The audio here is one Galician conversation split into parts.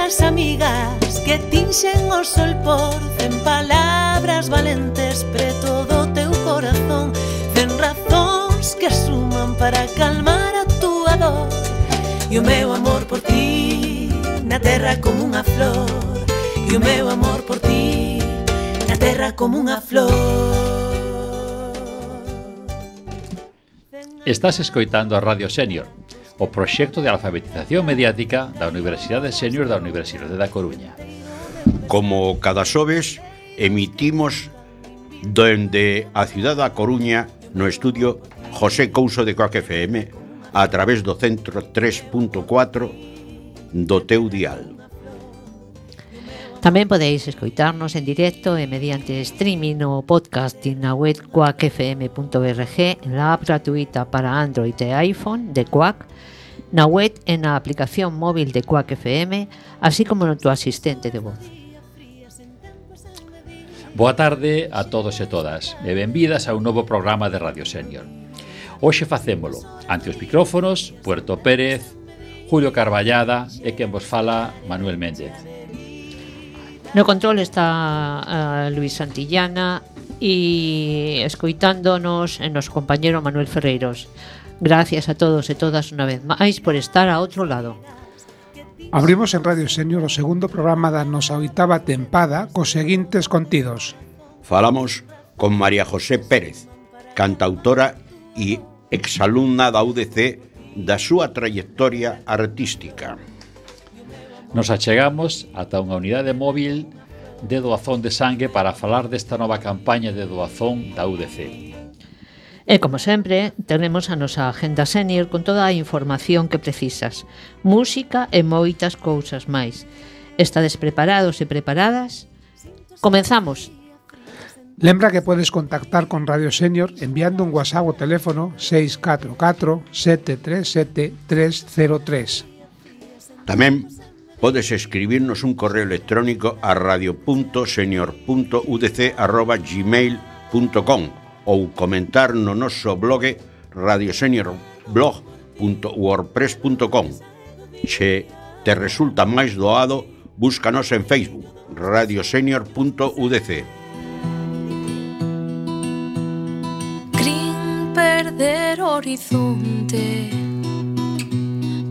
as amigas que tinxen o sol por 100 palabras valentes preto do teu corazón, 100 razóns que suman para calmar a túa dor. E o meu amor por ti na terra como unha flor, e o meu amor por ti na terra como unha flor. Estás escoitando a Radio Senior, o proxecto de alfabetización mediática da Universidade Senior da Universidade da Coruña. Como cada xoves, emitimos dende a cidade da Coruña no estudio José Couso de Coac FM a través do 103.4 do teu dial. Tamén podeis escoitarnos en directo e mediante streaming no podcasting na web quackfm.org, en la app gratuita para Android e iPhone de Quack, na web e na aplicación móvil de Quack FM, así como no tu asistente de voz. Boa tarde a todos e todas e benvidas a un novo programa de Radio Senior. Hoxe facémolo ante os micrófonos Puerto Pérez, Julio Carballada e quen vos fala Manuel Méndez. No control está Luis Santillana e escoitándonos en noso compañero Manuel Ferreiros. Gracias a todos e todas unha vez máis por estar a outro lado. Abrimos en Radio Senior o segundo programa da nosa oitava tempada cos seguintes contidos. Falamos con María José Pérez, cantautora e exalumna da UDC da súa trayectoria artística. Nos achegamos ata unha unidade móvil de doazón de sangue para falar desta nova campaña de doazón da UDC. E como sempre, tenemos a nosa agenda senior con toda a información que precisas, música e moitas cousas máis. Estades preparados e preparadas? Comenzamos! Lembra que podes contactar con Radio Senior enviando un WhatsApp ao teléfono 644 737 303. Tamén podes escribirnos un correo electrónico a radio.senior.udc@gmail.com ou comentar no noso blog radioseniorblog.wordpress.com. Se te resulta máis doado, búscanos en Facebook, radiosenior.udc. Crin perder horizonte,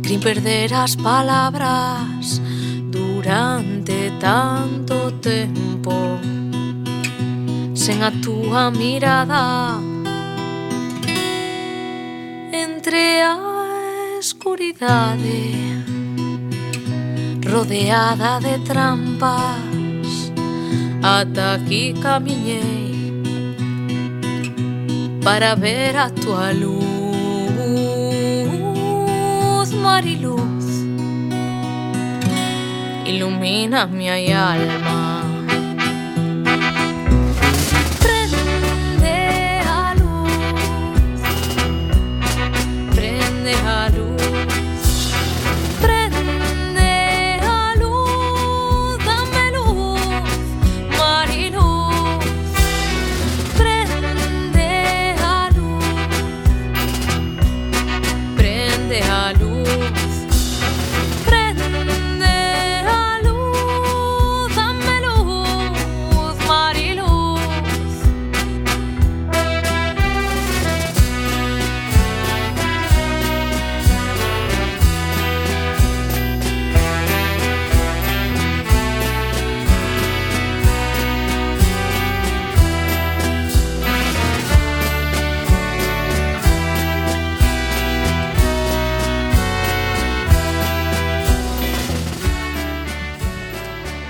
crin perder as palabras durante tanto tempo, sen a túa mirada entre a escuridade, rodeada de trampas, ata aquí camiñei para ver a túa luz, mariluz, ilumina mi alma.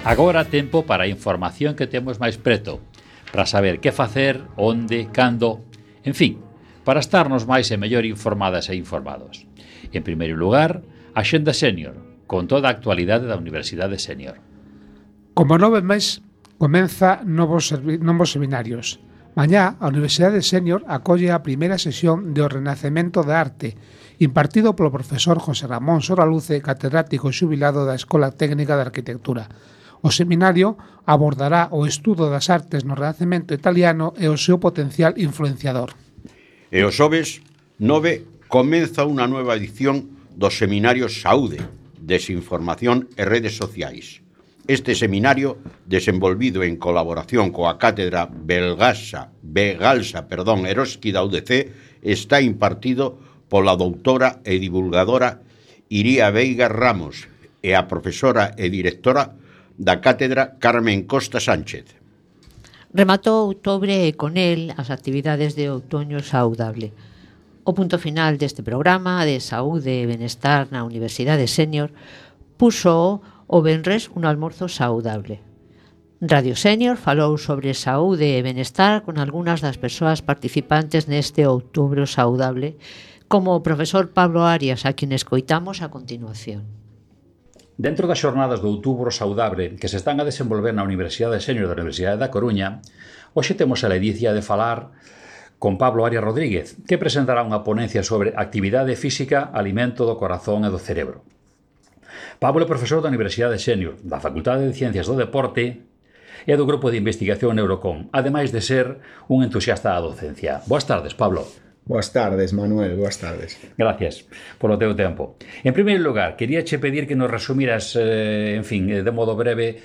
Agora tempo para a información que temos máis preto, para saber que facer, onde, cando, en fin, para estarnos máis e mellor informadas e informados. En primeiro lugar, a Axenda Senior, con toda a actualidade da Universidade Senior. Como 9 mes, comeza novos seminarios. Mañá, a Universidade Senior acolle a primeira sesión de O Renacemento da Arte, impartido polo profesor José Ramón Soraluce, catedrático xubilado da Escola Técnica de Arquitectura. O seminario abordará o estudo das artes no Renacemento italiano e o seu potencial influenciador. E o xoves 9 comeza unha nova edición do Seminario Saúde, desinformación e redes sociais. Este seminario, desenvolvido en colaboración coa Cátedra Begalsa Eroski da UDC, está impartido pola doutora e divulgadora Iría Veiga Ramos e a profesora e directora da Cátedra Carmen Costa Sánchez. Rematou outubro e con el as actividades de Outoño Saudable. O punto final deste programa de saúde e benestar na Universidade Sénior puxo o venres un almorzo saudable. Radio Sénior falou sobre saúde e benestar con algunhas das persoas participantes neste Outubro Saudable, como o profesor Pablo Arias, a quien escoitamos a continuación. Dentro das xornadas do Outubro Saudable que se están a desenvolver na Universidade Sénior da Universidade da Coruña, hoxe temos a ledicia de falar con Pablo Arias Rodríguez, que presentará unha ponencia sobre actividade física, alimento do corazón e do cerebro. Pablo é profesor da Universidade Sénior, da Facultade de Ciencias do Deporte e do Grupo de Investigación Neurocom, ademais de ser un entusiasta da docencia. Boas tardes, Pablo. Boas tardes, Manuel, boas tardes. Gracias polo teu tempo. En primeiro lugar, queríache pedir que nos resumiras, de modo breve,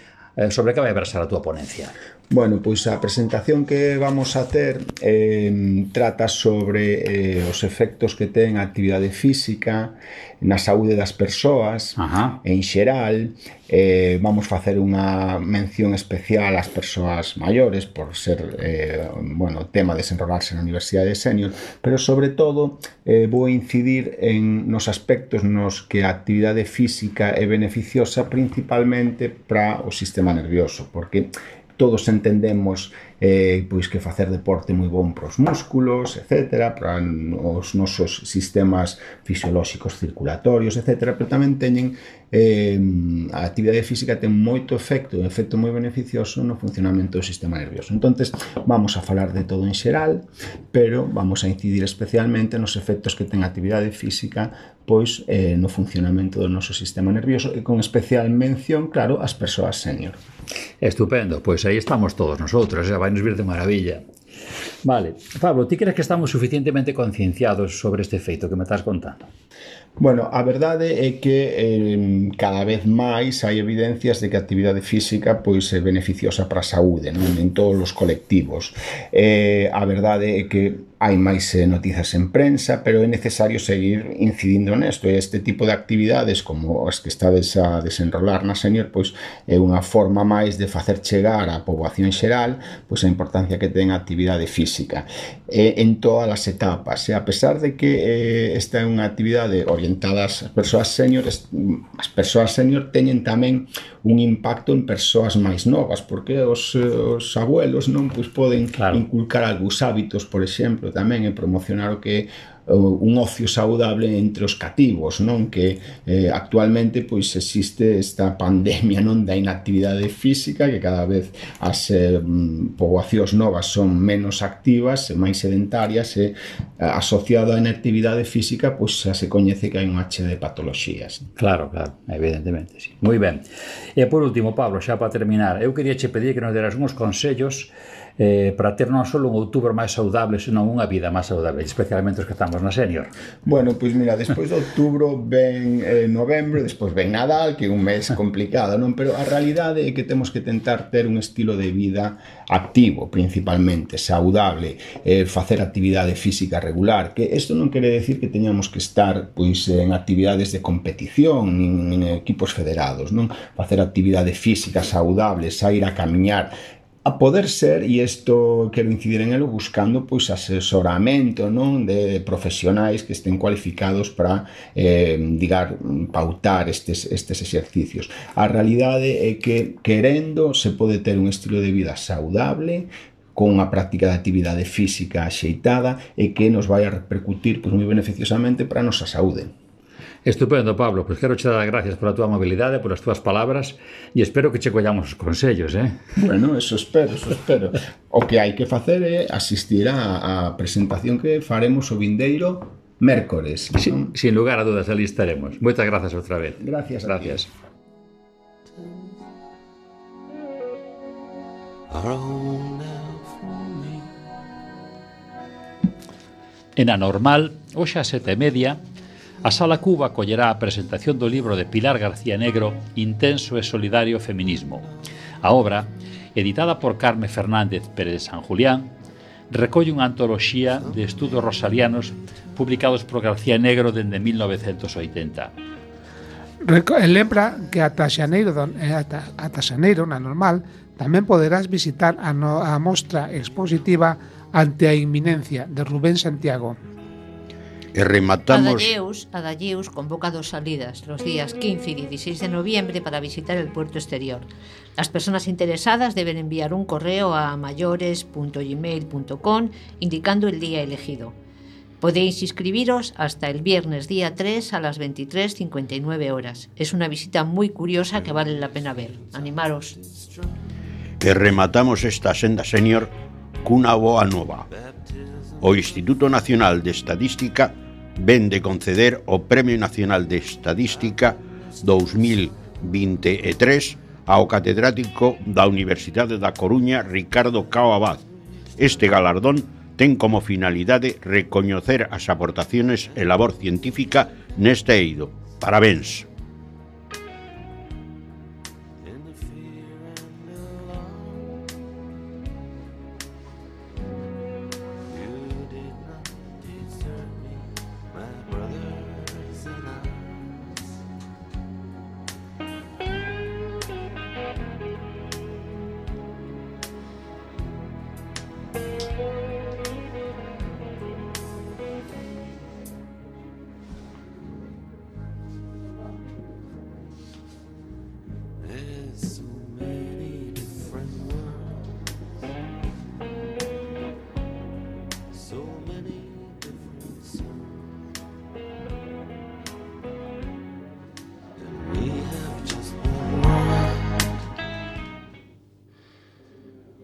sobre que vai versar a túa ponencia. Bueno, pois a presentación que vamos a ter trata sobre os efectos que ten a actividade física na saúde das persoas. En xeral. Vamos facer unha mención especial ás persoas maiores por ser tema de desenrolarse na Universidade Sénior, pero sobre todo vou incidir nos aspectos nos que a actividade física é beneficiosa principalmente para o sistema nervioso, porque todos entendemos pois que facer deporte é moi bon para os músculos, etc., para os nosos sistemas fisiolóxicos circulatorios, etc., pero tamén teñen a actividade física ten moito efecto, un efecto moi beneficioso no funcionamento do sistema nervioso. Entonces, vamos a falar de todo en xeral, pero vamos a incidir especialmente nos efectos que ten a actividade física pois no funcionamento do noso sistema nervioso e con especial mención, claro, ás persoas sénior. Estupendo, pois aí estamos todos nosotros, vai nos vir de maravilla. Vale, Pablo, ti crees que estamos suficientemente concienciados sobre este feito que me estás contando? Bueno, a verdade é que cada vez máis hai evidencias de que a actividade física pois é beneficiosa para a saúde, non? En todos os colectivos. A verdade é que hai máis noticias en prensa, pero é necesario seguir incidindo nesto. E este tipo de actividades, como as que estades a desenrolar na Sénior, pois é unha forma máis de facer chegar á poboación xeral pois a importancia que ten a actividade física en todas as etapas. E a pesar de que esta é unha actividade orientada ás persoas sénior, as persoas sénior teñen tamén un impacto en persoas máis novas, porque os abuelos non pois poden inculcar algúns hábitos, por exemplo, tamén e promocionar o que un ocio saudable entre os cativos, non? Que actualmente pois existe esta pandemia, non, da inactividade física, que cada vez as poboacións novas son menos activas, máis sedentarias, e asociado á inactividade física pois xa se coñece que hai unha che de patoloxías. Claro, evidentemente, sí. Moi ben. E por último, Pablo, xa para terminar, eu quería che pedir que nos deras uns consellos para ter non só un outubro máis saudable, senón unha vida máis saudable, especialmente os que estamos na Sénior. Bueno, pois mira, despois de outubro ven novembro, despois ven Nadal, que é un mes complicado, non? Pero a realidade é que temos que tentar ter un estilo de vida activo, principalmente, saudable, facer actividade física regular, que isto non quere decir que teñamos que estar pois en actividades de competición, nin equipos federados, non? Facer actividade física saudable, sair a camiñar, a poder ser, e isto quero incidir en elo, buscando pois asesoramento, non, de profesionais que estén cualificados para pautar estes exercicios. A realidade é que querendo se pode ter un estilo de vida saudable, con unha práctica de actividade física axeitada e que nos vai a repercutir pois moi beneficiosamente para a nosa saúde. Estupendo, Pablo, pois quero che dar gracias pola túa amabilidade, polas túas palabras, e espero que che collamos os consellos, Bueno, eso espero. O que hai que facer é asistir á presentación que faremos o vindeiro mércores. Sin lugar a dudas, ali estaremos. Moitas grazas outra vez. Gracias. En a normal, hoxe a 7:30, A Sala Cuba acollerá a presentación do libro de Pilar García Negro, Intenso e solidario feminismo. A obra, editada por Carme Fernández Pérez de San Julián, recolle unha antoloxía de estudos rosarianos publicados por García Negro dende 1980. Lembra que ata xaneiro na normal tamén poderás visitar a mostra expositiva Ante a inminencia de Rubén Santiago. E rematamos... Adalleus convoca dos salidas los días 15 y 16 de noviembre para visitar el puerto exterior. Las personas interesadas deben enviar un correo a mayores.gmail.com indicando el día elegido. Podéis inscribiros hasta el viernes día 3 a las 23:59 horas. Es una visita muy curiosa que vale la pena ver. Animaros. E rematamos esta senda senior cunha boa nova. O Instituto Nacional de Estadística ven de conceder o Premio Nacional de Estadística 2023 ao catedrático da Universidade da Coruña, Ricardo Cao Abad. Este galardón ten como finalidade recoñecer as aportaciones e labor científica neste eido. Parabéns.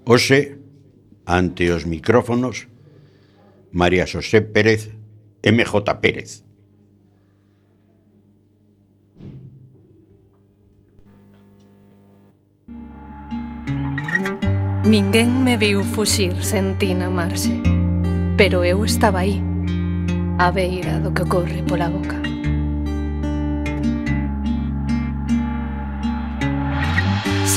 Hoxe, ante os micrófonos, María Xosé Pérez, MJ Pérez. Ninguén me viu fuxir sen ti na marxe, pero eu estaba aí, á beira do que corre pola boca.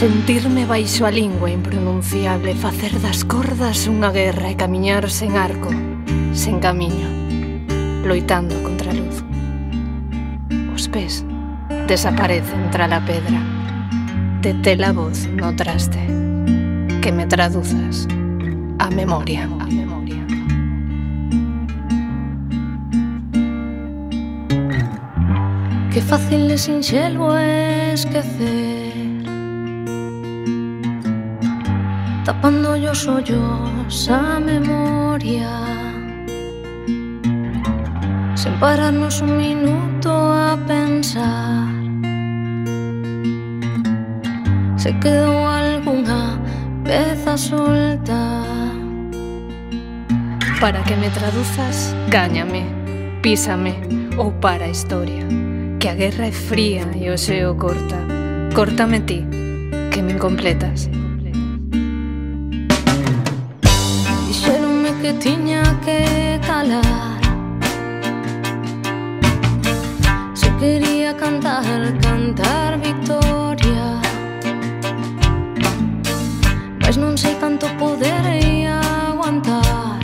Sentirme baixo a lingua impronunciable, facer das cordas unha guerra e camiñar sen arco, sen camiño, loitando contra a luz. Os pés desaparecen tra la pedra, detela a voz no traste, que me traduzas a memoria. Que fácil e sinxelo é esquecer, tapando os ollos a memoria, sen pararnos un minuto a pensar se quedou algunha peza solta. Para que me traduzas, gáñame, písame ou para a historia, que a guerra é fría e o xeo corta. Córtame ti, que me incompletas. Dixéronme que tiña que calar, se quería cantar victoria, mas non sei canto poderei aguantar,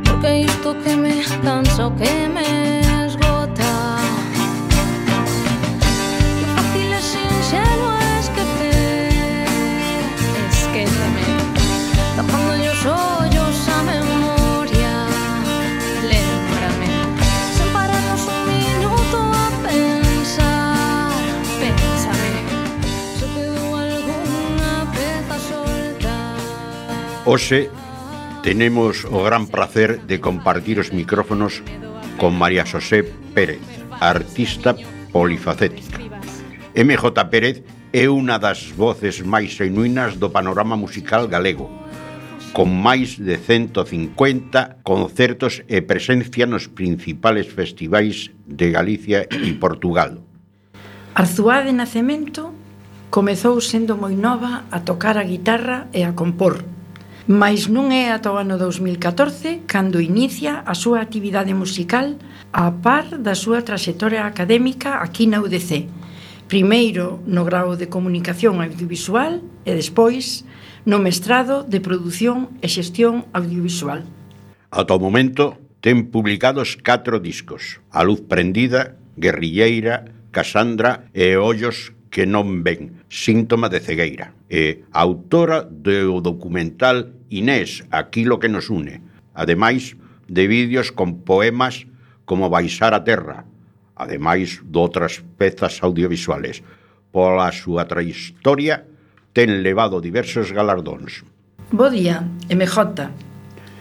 porque isto que me cansa, o que me esgota. Que fácil é sinxelo esquecer, esquéceme, tapando os ollos a memoria, lémbrame, sen pararnos un minuto a pensar, pénsame, se quedou algunha peza solta. Hoxe tenemos o gran placer de compartir os micrófonos con María Xosé Pérez, artista polifacética. MJ Pérez é unha das voces máis genuínas do panorama musical galego, con máis de 150 concertos e presencia nos principales festivais de Galicia e Portugal. Arzuá de nacemento comezou sendo moi nova a tocar a guitarra e a compor. Mais non é ata o ano 2014 cando inicia a súa actividade musical a par da súa traxectoria académica aquí na UDC. Primeiro no grao de Comunicación Audiovisual e despois no mestrado de Produción e Xestión Audiovisual. Ata o momento ten publicados 4 discos: A Luz Prendida, Guerrilleira, Casandra e Ollos que non ven, síntoma de cegueira. É autora do documental Inés, Aquilo que nos une, ademais de vídeos con poemas como Baixar a Terra, ademais de outras pezas audiovisuales. Pola súa trayectoria ten levado diversos galardóns. Bo día, MJ.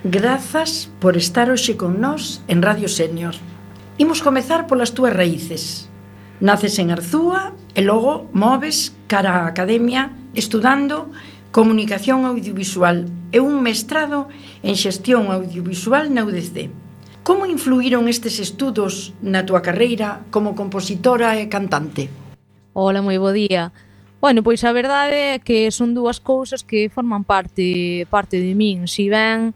Grazas por estar hoxe con nós en Radio Senior. Imos comezar polas túas raíces. Naces en Arzúa e logo moves cara á academia estudando Comunicación Audiovisual e un mestrado en Xestión Audiovisual na UDC. Como influíron estes estudos na túa carreira como compositora e cantante? Hola, moi bo día. Bueno, pois a verdade é que son dúas cousas que forman parte de min. Si ben,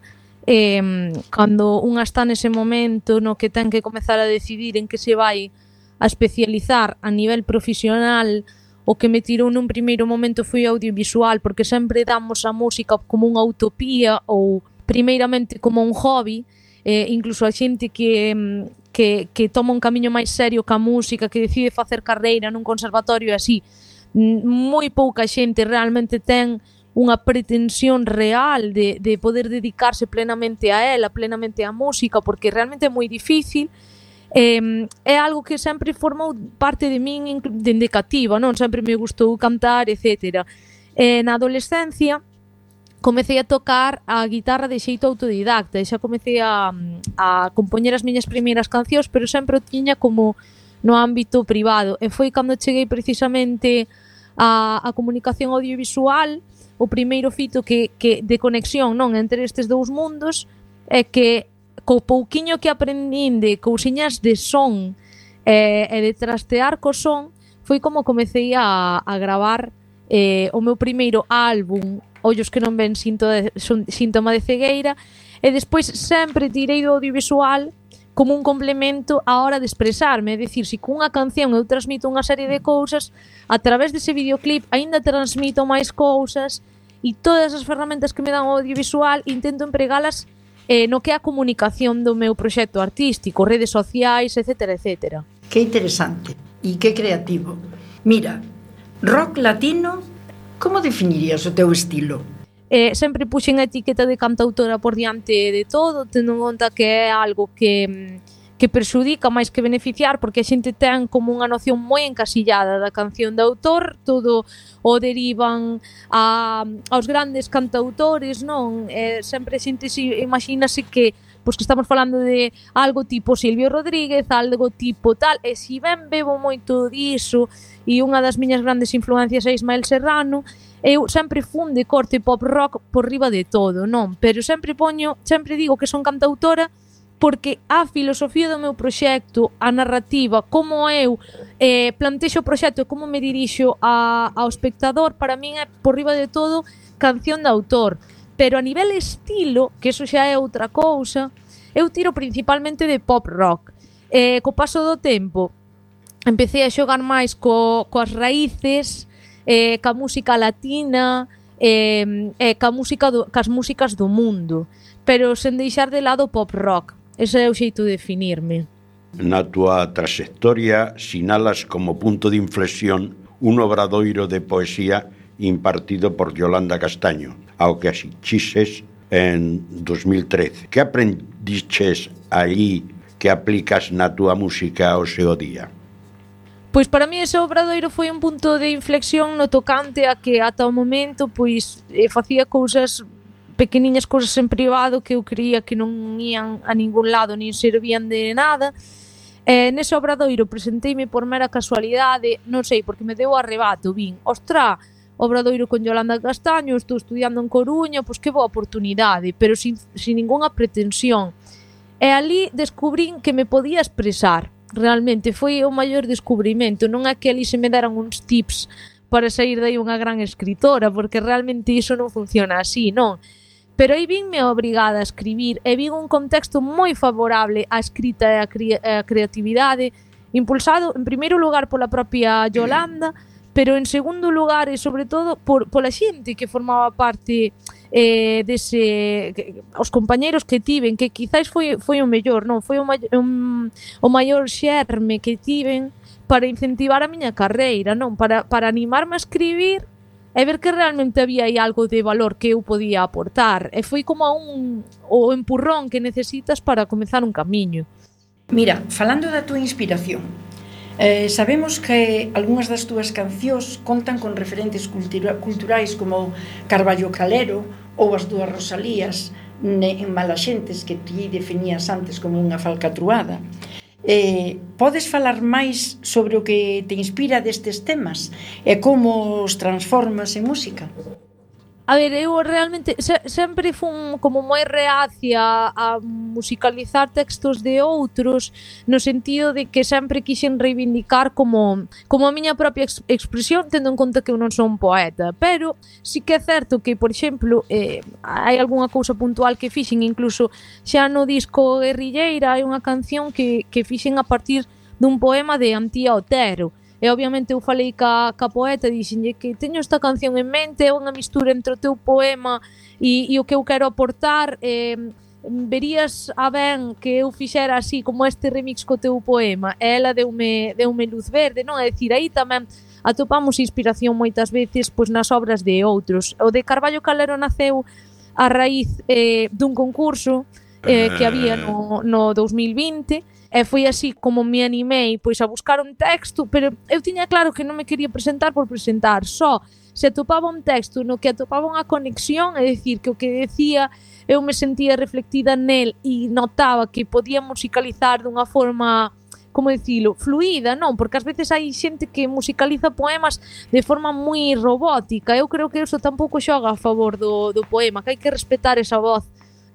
cando unha está nese momento no que ten que comezar a decidir en que se vai a especializar a nivel profesional, o que me tirou nun primeiro momento foi audiovisual, porque sempre damos a música como unha utopía ou primeiramente como un hobby, incluso a xente que toma un camiño máis serio ca música, que decide facer carreira nun conservatorio e así, moi pouca xente realmente ten unha pretensión real de poder dedicarse plenamente a ela, plenamente á música, porque realmente é moi difícil. É algo que sempre formou parte de min dende cativa, non? Sempre me gustou cantar, etc. Na adolescencia comecei a tocar a guitarra de xeito autodidacta e xa comecei a compoñer as miñas primeiras cancións, pero sempre o tiña como no ámbito privado. E foi cando cheguei precisamente a comunicación audiovisual, o primeiro fito que de conexión, non, entre estes dous mundos, é que co pouquiño que aprendín de cousiñas de son e de trastear co son, foi como comecei a gravar o meu primeiro álbum, Ollos que non ven, síntoma de cegueira, e despois sempre tirei do audiovisual como un complemento á hora de expresarme, é dicir, se cunha canción eu transmito unha serie de cousas, a través dese videoclip aínda transmito máis cousas, e todas as ferramentas que me dan o audiovisual intento empregalas no que é a comunicación do meu proxecto artístico, redes sociais, etc, etc. Que interesante e que creativo. Mira, rock latino, como definirías o teu estilo? Sempre puxen a etiqueta de cantautora por diante de todo, tendo en conta que é algo que perxudica máis que beneficiar, porque a xente ten como unha noción moi encasillada da canción de autor, todo o derivan aos grandes cantautores, non? Sempre a xente imagínase que estamos falando de algo tipo Silvio Rodríguez, algo tipo tal, e si ben bebo moito diso, e unha das miñas grandes influencias é Ismael Serrano, eu sempre fun de corte pop rock por riba de todo, non? Pero sempre digo que son cantautora porque a filosofía do meu proxecto, a narrativa, como eu plantexo o proxecto e como me dirixo ao espectador, para min é por riba de todo canción de autor. Pero a nivel estilo, que eso xa é outra cousa, eu tiro principalmente de pop rock. Co paso do tempo empecé a xogar máis coas raíces, ca música latina, cas músicas do mundo, pero sen deixar de lado o pop rock. Ese é o xeito de definirme. Na túa traxectoria sinalas como punto de inflexión un obradoiro de poesía impartido por Yolanda Castaño, ao que asistiches en 2013. Que aprendiches aí que aplicas na túa música ao seu día? Pois para mí ese obradoiro foi un punto de inflexión no tocante a que ata o momento facía cousas pequeniñas, cousas en privado que eu creía que non ían a ningún lado nin servían de nada. Nese obradoiro presenteime por mera casualidade, non sei, porque me deu arrebato, vin, ostra, obradoiro con Yolanda Castaño, estou estudiando en Coruña, pois que boa oportunidade, pero sin ningunha pretensión. E ali descubrín que me podía expresar, realmente, foi o maior descubrimento, non é que ali se me deran uns tips para sair dai unha gran escritora, porque realmente iso non funciona así, non? pero aí vinme obrigada a escribir e vin un contexto moi favorable á escrita e á creatividade, impulsado en primeiro lugar pola propia Yolanda, pero en segundo lugar e sobre todo pola xente que formaba parte os compañeiros que tiven, que quizás foi o mellor, non? Foi o maior xerme que tiven para incentivar a miña carreira, non? Para animarme a escribir e ver que realmente había aí algo de valor que eu podía aportar. E foi como o empurrón que necesitas para comezar un camiño. Mira, falando da túa inspiración, sabemos que algunhas das túas cancións contan con referentes culturais como Carballo Calero ou as dúas Rosalías en Malaxentes, que ti definías antes como unha falcatruada. Podes falar máis sobre o que te inspira destes temas e como os transformas en música? A ver, eu realmente sempre fun como moi reacia a musicalizar textos de outros, no sentido de que sempre quixen reivindicar como a miña propia expresión, tendo en conta que eu non son poeta. Pero sí que é certo que, por exemplo, hai algunha cousa puntual que fixen, incluso xa no disco Guerrilleira hai unha canción que fixen a partir dun poema de Antía Otero. E obviamente eu falei ca poeta e dixenlle que teño esta canción en mente, é unha mistura entre o teu poema e o que eu quero aportar, verías a ben que eu fixera así como este remix co teu poema. E ela deume luz verde, non? É dicir, aí tamén atopamos inspiración moitas veces pois nas obras de outros. O de Carballo Calero naceu a raíz dun concurso que había no 2020. E foi así como me animei pois a buscar un texto, pero eu tiña claro que non me quería presentar por presentar, só se atopaba un texto no que atopaba unha conexión, é dicir, que o que decía eu me sentía reflectida nel e notaba que podía musicalizar dunha forma, como dicilo, fluida, non? Porque ás veces hai xente que musicaliza poemas de forma moi robótica. Eu creo que iso tampouco xoga a favor do poema, que hai que respetar esa voz,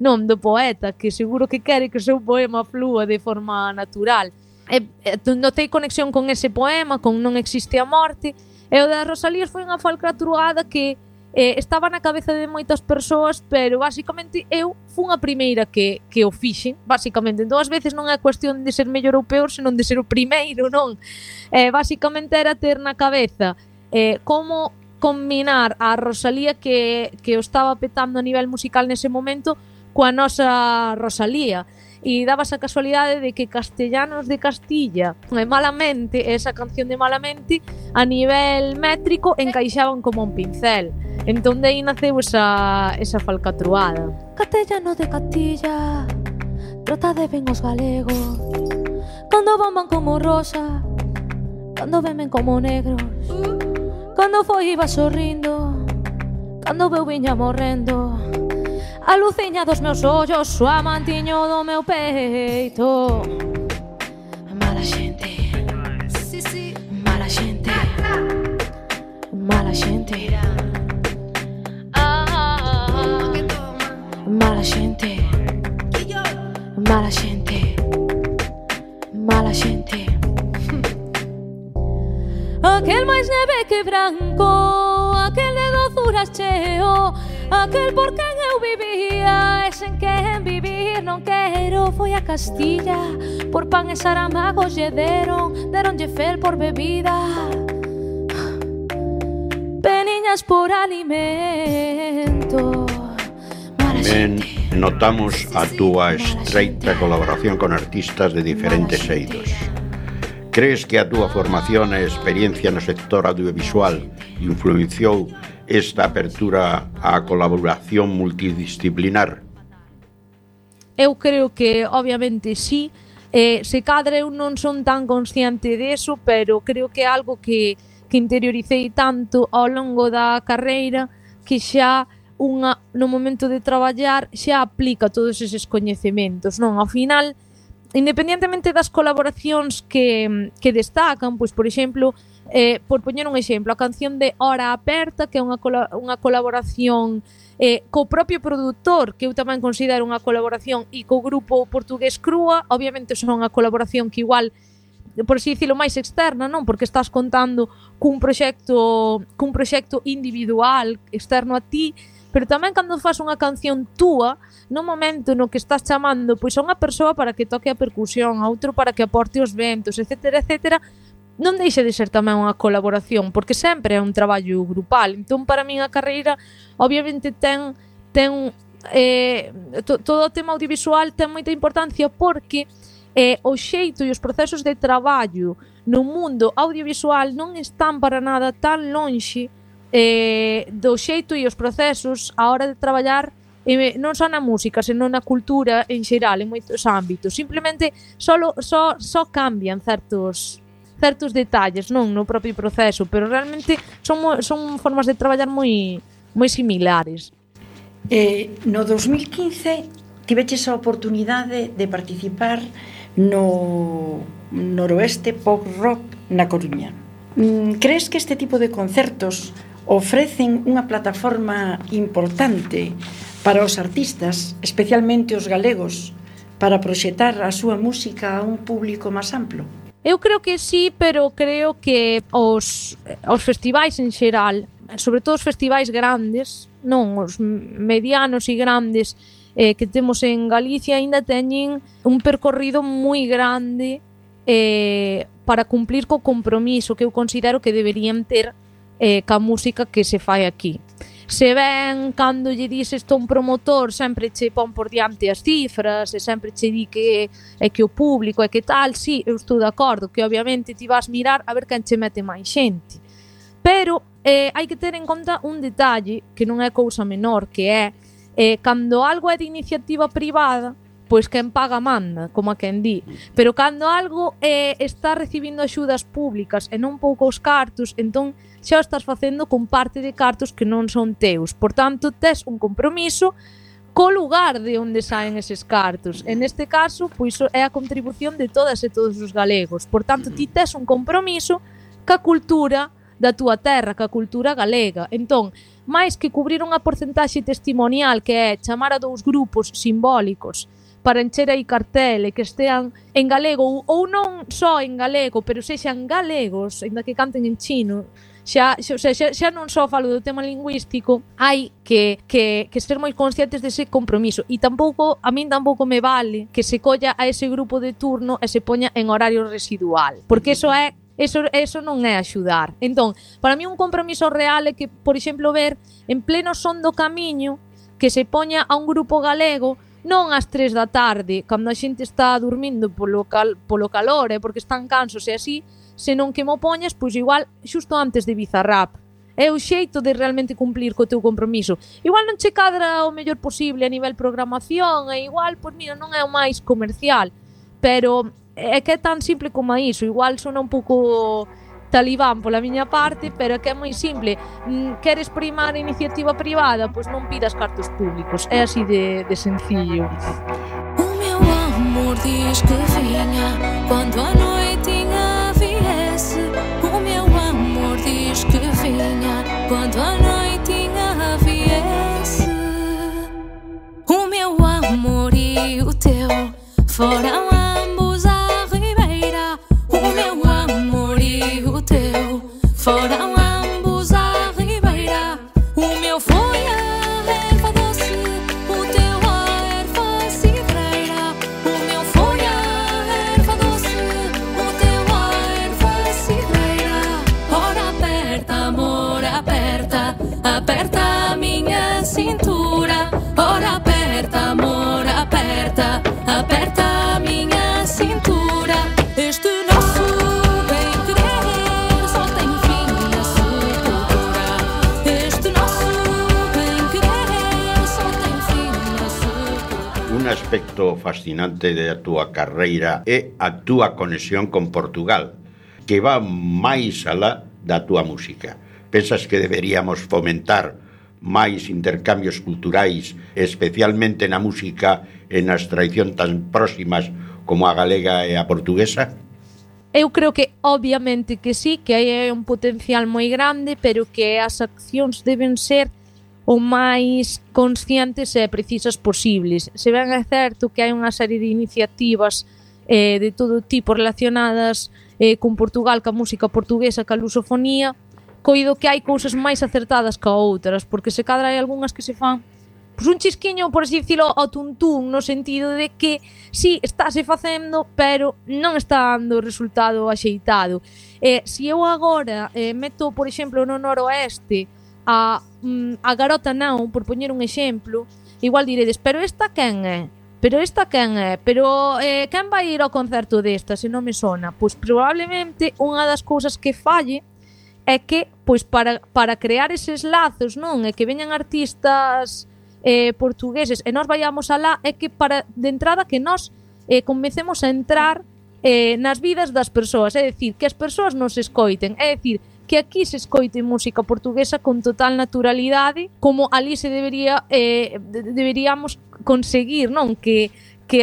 non, do poeta, que seguro que quere que o seu poema flúa de forma natural. Notei conexión con ese poema, con Non existe a morte, e o das Rosalías foi unha falcatruada que estaba na cabeza de moitas persoas, pero basicamente eu fun a primeira que o fixen, basicamente. Entón, ás veces non é cuestión de ser mellor ou peor, senón de ser o primeiro, non? Basicamente era ter na cabeza como combinar a Rosalía que o estaba petando a nivel musical nese momento coa nosa Rosalía, e daba esa casualidade de que Castellanos de Castilla e Malamente, esa canción de Malamente, a nivel métrico encaixaban como un pincel. Entón de aí naceu esa falcatruada. Castellano de Castilla, trota de ben os galegos, cando bomban como rosa, cando vemen como negros, cando foi iba sorrindo, cando veu viña morrendo, a luciña dos meus ollos, o amantiño do meu peito. Mala xente, mala xente, mala xente, mala xente, mala xente, mala xente. Aquel máis neve que branco, aquel de dozuras cheo, aquel por quen eu vivía, e sen quen vivir non quero. Foi a Castilla, por pan e saramagos lle deronlle fel por bebida, peniñas por alimento. Ben, notamos a túa estreita colaboración con artistas de diferentes eidos. Crees que a túa formación e experiencia no sector audiovisual influenciou esta apertura á colaboración multidisciplinar? Eu creo que, obviamente, sí. Se cadra eu non son tan consciente deso, pero creo que é algo que interioricei tanto ao longo da carreira que xa no momento de traballar xa aplica todos eses coñecementos, non? Ao final, independentemente das colaboracións que destacan, pois, por exemplo, por poñer un exemplo, a canción de Hora Aperta, que é unha colaboración co propio produtor, que eu tamén considero unha colaboración, e co grupo portugués Crúa, obviamente son unha colaboración que igual, por así dicilo, máis externa, non? Porque estás contando cun proxecto individual externo a ti, pero tamén cando fas unha canción túa, no momento no que estás chamando pois a unha persoa para que toque a percusión, a outro para que aporte os ventos, etcétera, etcétera, non deixa de ser tamén unha colaboración, porque sempre é un traballo grupal. Entón, para min a carreira obviamente ten todo o tema audiovisual ten moita importancia, porque o xeito e os procesos de traballo no mundo audiovisual non están para nada tan lonxe do xeito e os procesos a hora de traballar non só na música, senón na cultura en xeral, en moitos ámbitos. Simplemente só cambian certos detalles, non no propio proceso, pero realmente son formas de traballar moi similares. No 2015 tiveches a oportunidade de participar no Noroeste Pop Rock na Coruña. Crees que este tipo de concertos ofrecen unha plataforma importante para os artistas, especialmente os galegos, para proxectar a súa música a un público máis amplo? Eu creo que sí, pero creo que os festivais en xeral, sobre todo os festivais grandes, non os medianos e grandes que temos en Galicia, aínda teñen un percorrido moi grande para cumplir co compromiso que eu considero que deberían ter ca música que se fai aquí. Se ven, cando lle dices a un promotor, sempre che pon por diante as cifras e sempre che di que é que o público é que tal, sí, eu estou de acordo que obviamente ti vas mirar a ver quen che mete máis xente, pero hai que ter en conta un detalle que non é cousa menor, que é cando algo é de iniciativa privada, pois quen paga manda, como a quen di, pero cando algo está recibindo axudas públicas e non poucos cartos, entón xa o estás facendo con parte de cartos que non son teus. Por tanto, tes un compromiso co lugar de onde saen eses cartos. En este caso, pois é a contribución de todas e todos os galegos. Por tanto, ti tes un compromiso ca cultura da túa terra, ca cultura galega. Entón, máis que cubrir unha porcentaxe testimonial, que é chamar a 2 grupos simbólicos para encher aí cartel e que estean en galego, ou non só en galego, pero sexan galegos, ainda que canten en chino, xa non só falo do tema lingüístico, hai que ser moi conscientes dese compromiso. E a min tampouco me vale que se colla a ese grupo de turno e se poña en horario residual, porque eso non é axudar. Entón, para mí un compromiso real é que, por exemplo, ver en pleno son do camiño que se poña a un grupo galego non ás 3 da tarde, cando a xente está dormindo polo calor, porque están cansos e así, senón que mo poñas, pois igual, xusto antes de Bizarrap. É o xeito de realmente cumplir co teu compromiso. Igual non che cadra o mellor posible a nivel programación, e igual, pois mira, non é o máis comercial, pero é que é tan simple como iso. Igual sona un pouco talibán pola miña parte, pero é que é moi simple. Queres primar a iniciativa privada? Pois non pidas cartos públicos. É así de sencillo. O meu amor diz que vinha quando a noitinha viesse. O meu amor diz que vinha quando a noitinha viesse. O meu amor e o teu foram ambos à ribeira. O meu amor e o teu foram ambos à ribeira. O meu foi a erva doce, o teu a erva cidreira. O meu foi a erva doce, o teu a erva cidreira. Ora aperta, amor, aperta, aperta a minha cintura. Ora aperta, amor, aperta, aperta a minha cintura. Este nosso bem-querer só tem fim na sepultura. Este nosso bem-querer só tem fim na sepultura. Un aspecto fascinante da túa carreira é a túa conexión con Portugal, que va máis alá da túa música. Pensas que deberíamos fomentar máis intercambios culturais, especialmente na música e nas tradicións tan próximas como a galega e a portuguesa? Eu creo que, obviamente, que sí, que hai un potencial moi grande, pero que as accións deben ser o máis conscientes e precisas posibles. Se ben é certo que hai unha serie de iniciativas de todo tipo relacionadas con Portugal, ca música portuguesa, ca lusofonía, coido que hai cousas máis acertadas que outras, porque se cadra hai algunhas que se fan pois un chisquiño, por así dicilo, ao tuntún, no sentido de que sí, estáse facendo, pero non está dando o resultado axeitado. Se eu agora meto, por exemplo, no noroeste a Garota Non, por poñer un exemplo, igual diredes, pero esta quen é? Pero esta quen é? Pero quen vai ir ao concerto desta, se non me sona? Pois probablemente unha das cousas que falle é que, pois para crear eses lazos, non? E que veñan artistas portugueses e nós vayamos alá, é que de entrada que nós comecemos a entrar nas vidas das persoas, é dicir, que as persoas nos escoiten, é dicir, que aquí se escoite música portuguesa con total naturalidade, como ali se deberíamos conseguir, non? Que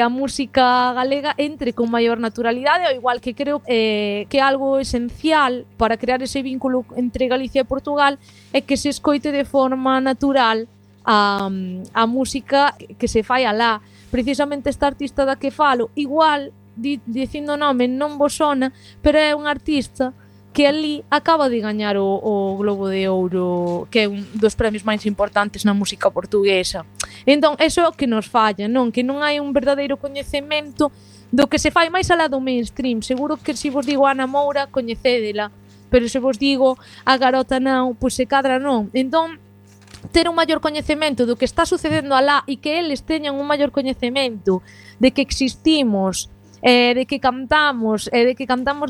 a música galega entre con maior naturalidade, ao igual que creo que algo esencial para crear ese vínculo entre Galicia e Portugal é que se escoite de forma natural a música que se fai alá. Precisamente esta artista da que falo, igual, dicindo o nome non vos sona, pero é un artista que ali acaba de gañar o Globo de Ouro, que é un dos premios máis importantes na música portuguesa. Entón, eso é o que nos falla, non? Que non hai un verdadeiro coñecemento do que se fai máis alá do mainstream. Seguro que se vos digo Ana Moura, coñecédela, pero se vos digo a Garota Non, pois se cadra non. Entón, ter un maior coñecemento do que está sucedendo alá e que eles teñan un maior coñecemento de que existimos, de que cantamos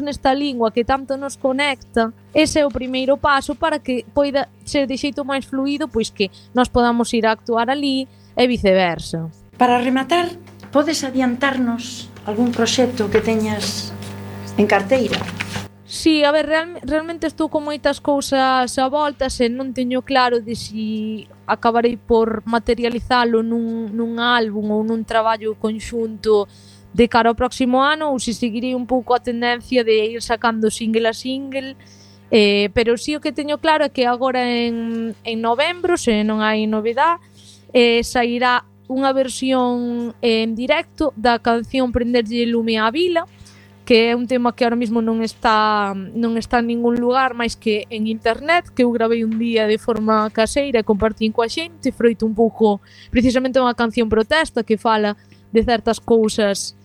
nesta lingua que tanto nos conecta, ese é o primeiro paso para que poida ser de xeito máis fluido, pois que nós podamos ir a actuar ali e viceversa. Para rematar, podes adiantarnos algún proxecto que teñas en carteira? Sí, a ver, realmente estou con moitas cousas a voltas e non teño claro de si acabarei por materializalo nun álbum ou nun traballo conxunto de cara ao próximo ano, ou se seguirei un pouco a tendencia de ir sacando single a single, pero sí o que teño claro é que agora en novembro, se non hai novedade, sairá unha versión en directo da canción Prenderlle lume á vila, que é un tema que ahora mismo non está en ningún lugar máis que en internet, que eu gravei un día de forma caseira e compartín coa xente, froito un pouco precisamente unha canción protesta que fala de certas cousas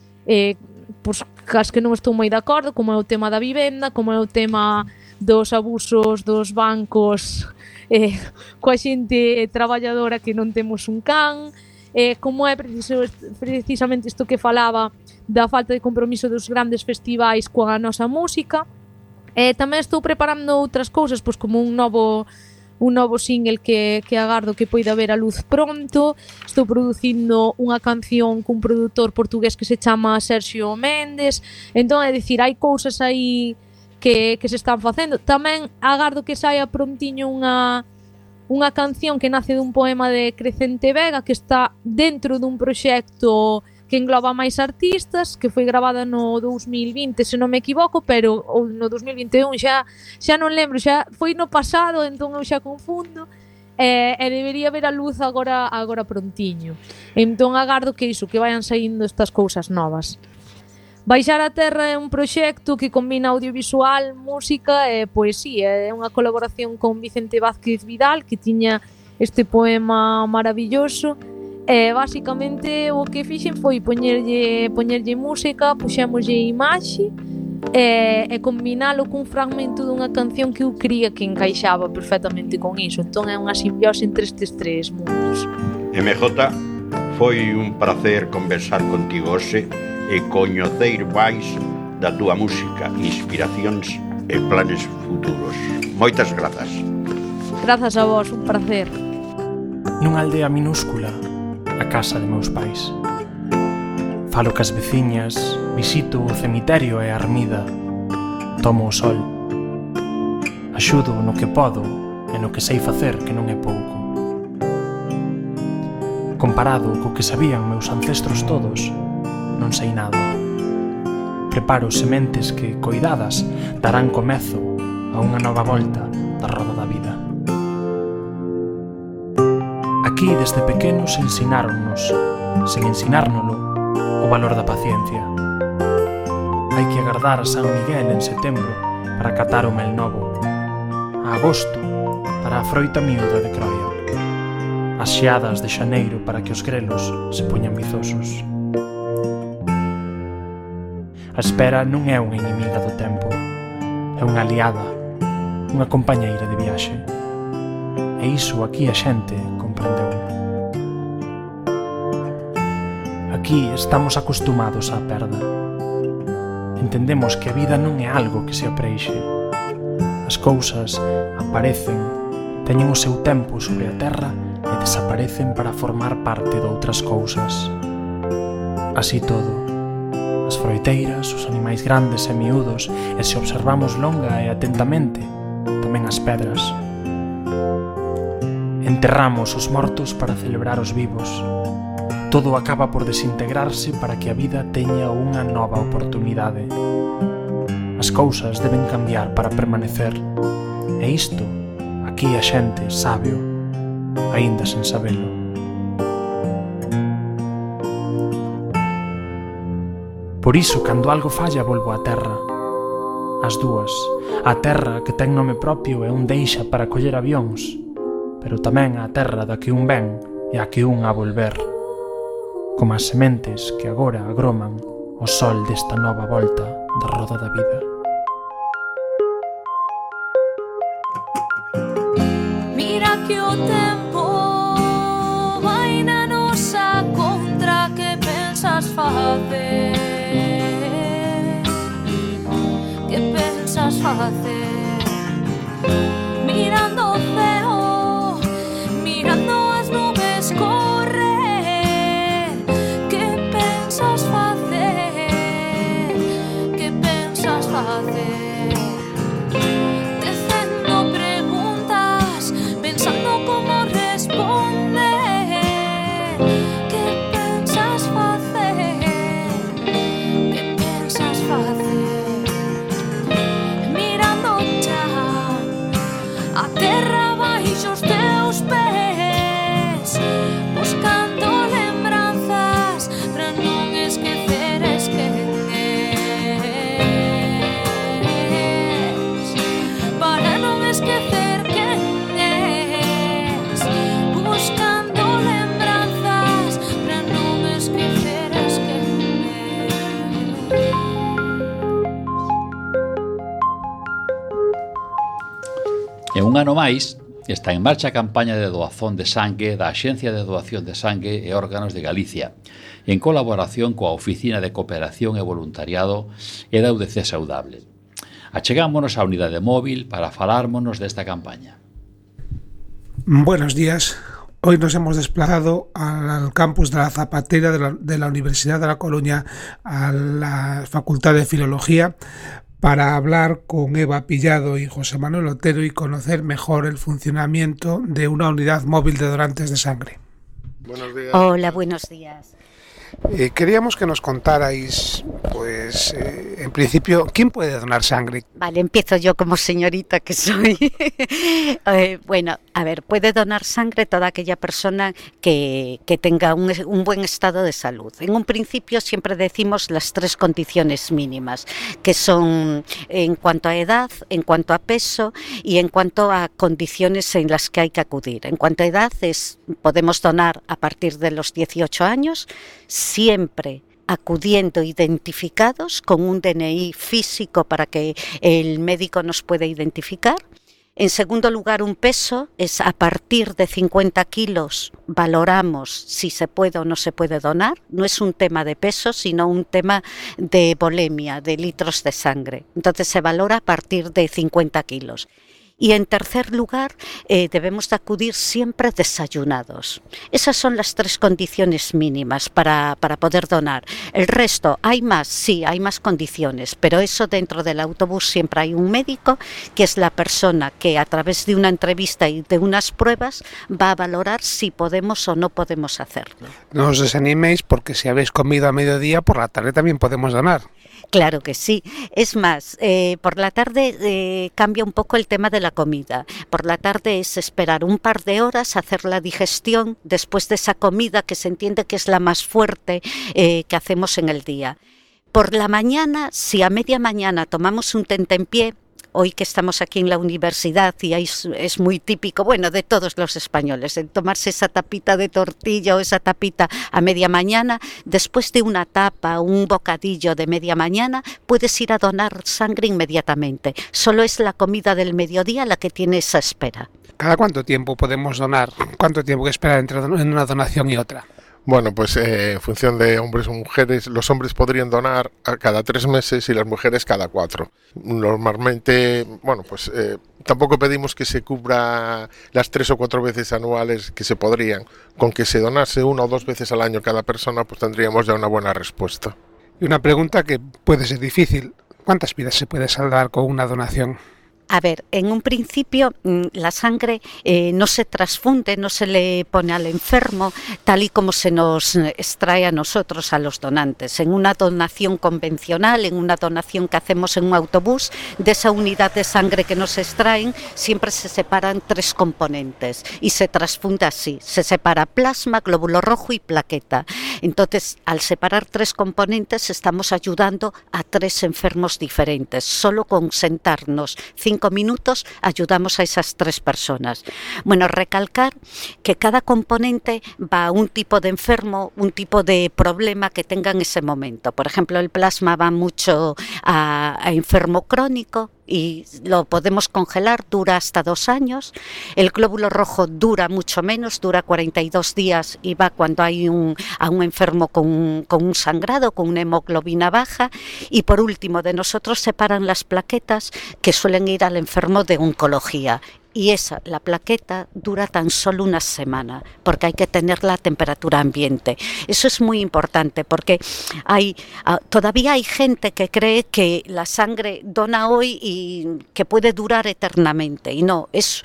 pois, cas que non estou moi de acordo, como é o tema da vivenda, como é o tema dos abusos dos bancos coa xente traballadora que non temos un can, como é precisamente isto que falaba da falta de compromiso dos grandes festivais coa nosa música. Tamén estou preparando outras cousas, pois como un novo single que agardo que poida ver a luz pronto. Estou producindo unha canción cun produtor portugués que se chama Sergio Méndez. Entón, é dicir, hai cousas aí que se están facendo. Tamén agardo que saia prontiño unha canción que nace dun poema de Crecente Vega, que está dentro dun proxecto que engloba máis artistas, que foi gravada no 2020, se non me equivoco, pero ou no 2021, xa non lembro, xa foi no pasado, entón eu xa confundo, e debería ver a luz agora prontiño. Entón agardo que iso, que vayan saindo estas cousas novas. Baixar a Terra é un proxecto que combina audiovisual, música e poesía. É unha colaboración con Vicente Vázquez Vidal, que tiña este poema maravilloso. Basicamente o que fixen foi poñerlle música, puxémoslle imaxe e combinalo cun fragmento dunha canción que eu cría que encaixaba perfectamente con iso. Entón é unha simbiose entre estes tres mundos. MJ, foi un placer conversar contigo hoxe e coñecer máis da túa música, inspiracións e planes futuros. Moitas grazas. Grazas a vos, un placer. Nunha aldea minúscula, a casa de meus pais. Falo cas veciñas, visito o cemiterio e a ermida, tomo o sol. Axudo no que podo e no que sei facer, que non é pouco. Comparado co que sabían meus ancestros todos, non sei nada. Preparo sementes que, coidadas, darán comezo a unha nova volta da roda da vida. Aquí, desde pequenos, ensináronnos, sen ensinárnolo, o valor da paciencia. Hai que agardar a San Miguel en setembro para catar o mel novo. a agosto para a froita miúda de Croia, as xeadas de xaneiro para que os grelos se poñan vizosos. A espera non é unha inimiga do tempo, é unha aliada, unha compañeira de viaxe. E iso aquí a xente comprendeu. Aquí estamos acostumados á perda. Entendemos que a vida non é algo que se apreixe. As cousas aparecen, teñen o seu tempo sobre a terra e desaparecen para formar parte de outras cousas. Así todo, as froiteiras, os animais grandes e miúdos, e se observamos longa e atentamente, tamén as pedras. Enterramos os mortos para celebrar os vivos. Todo acaba por desintegrarse para que a vida teña unha nova oportunidade. As cousas deben cambiar para permanecer. E isto, aquí a xente sábeo, aínda sen sabelo. Por iso, cando algo falla, volvo á terra. As dúas. A terra que ten nome propio e un deixa para coller avións, pero tamén a terra da que un ven e a que un a volver. Como as sementes que agora agroman o sol desta nova volta da roda da vida. Mira que o tempo vai na nosa contra, que pensas facer? Que pensas facer? Mirando o ceo, mirando as nubes correr, que pensas facer? Que pensas facer? Tecendo preguntas, pensando como responder. Que pensas facer? Que pensas facer? Mirando xa a terra baixo os teus pés, buscando lembranzas para non esqueceres quen és, para non esquecer quen és, buscando lembranzas para non esqueceres quen és. E un ano máis está en marcha a campaña de doazón de sangue da Axencia de Doación de Sangue e Órganos de Galicia, en colaboración coa Oficina de Cooperación e Voluntariado e da UDC Saudable. Achegámonos á unidade móvil para falármonos desta campaña. Buenos días. Hoy nos hemos desplazado al campus de la Zapatera de la Universidad de La Coruña, a la Facultad de Filología, para hablar con Eva Pillado y José Manuel Otero y conocer mejor el funcionamiento de una unidad móvil de donantes de sangre. Buenos días. Hola, buenos días. Queríamos que nos contarais, pues, en principio, ¿quién puede donar sangre? Vale, empiezo yo como señorita que soy. Bueno, a ver, puede donar sangre toda aquella persona que tenga un buen estado de salud. En un principio siempre decimos las 3 condiciones mínimas, que son en cuanto a edad, en cuanto a peso y en cuanto a condiciones en las que hay que acudir. En cuanto a edad, podemos donar a partir de los 18 años, siempre acudiendo identificados con un DNI físico para que el médico nos pueda identificar. En segundo lugar, un peso es a partir de 50 kilos, valoramos si se puede o no se puede donar. No es un tema de peso, sino un tema de volemia, de litros de sangre. Entonces se valora a partir de 50 kilos. Y en tercer lugar, debemos de acudir siempre desayunados. Esas son las 3 condiciones mínimas para poder donar. El resto, hay más, sí, hay más condiciones, pero eso dentro del autobús siempre hay un médico, que es la persona que a través de una entrevista y de unas pruebas va a valorar si podemos o no podemos hacerlo. No os desaniméis, porque si habéis comido a mediodía, por la tarde también podemos donar. Claro que sí. Es más, por la tarde cambia un poco el tema de la comida. Por la tarde es esperar un par de horas, hacer la digestión después de esa comida que se entiende que es la más fuerte que hacemos en el día. Por la mañana, si a media mañana tomamos un tentempié, hoy que estamos aquí en la universidad y es muy típico, bueno, de todos los españoles, el tomarse esa tapita de tortilla o esa tapita a media mañana, después de una tapa, un bocadillo de media mañana, puedes ir a donar sangre inmediatamente. Solo es la comida del mediodía la que tiene esa espera. ¿Cada cuánto tiempo podemos donar? ¿Cuánto tiempo que esperar entre una donación y otra? Bueno, pues en función de hombres o mujeres, los hombres podrían donar a cada 3 meses y las mujeres cada 4. Normalmente, bueno, pues tampoco pedimos que se cubra las 3 o 4 veces anuales que se podrían. Con que se donase 1 o 2 veces al año cada persona, pues tendríamos ya una buena respuesta. Y una pregunta que puede ser difícil. ¿Cuántas vidas se puede salvar con una donación? A ver, en un principio la sangre no se transfunde, no se le pone al enfermo tal y como se nos extrae a nosotros, a los donantes. En una donación convencional, en una donación que hacemos en un autobús, de esa unidad de sangre que nos extraen, siempre se separan 3 componentes y se transfunde así. Se separa plasma, glóbulo rojo y plaqueta. Entonces, al separar 3 componentes, estamos ayudando a 3 enfermos diferentes. Solo con sentarnos 5 minutos ayudamos a esas 3 personas. Bueno, recalcar que cada componente va a un tipo de enfermo, un tipo de problema que tenga en ese momento. Por ejemplo, el plasma va mucho a enfermo crónico y lo podemos congelar, dura hasta 2 años. El glóbulo rojo dura mucho menos, dura 42 días y va cuando hay a un enfermo con un sangrado, con una hemoglobina baja. Y por último, de nosotros separan las plaquetas que suelen ir al enfermo de oncología. Y la plaqueta dura tan solo 1 semana, porque hay que tenerla a temperatura ambiente. Eso es muy importante, porque todavía hay gente que cree que la sangre dona hoy y que puede durar eternamente, y no, es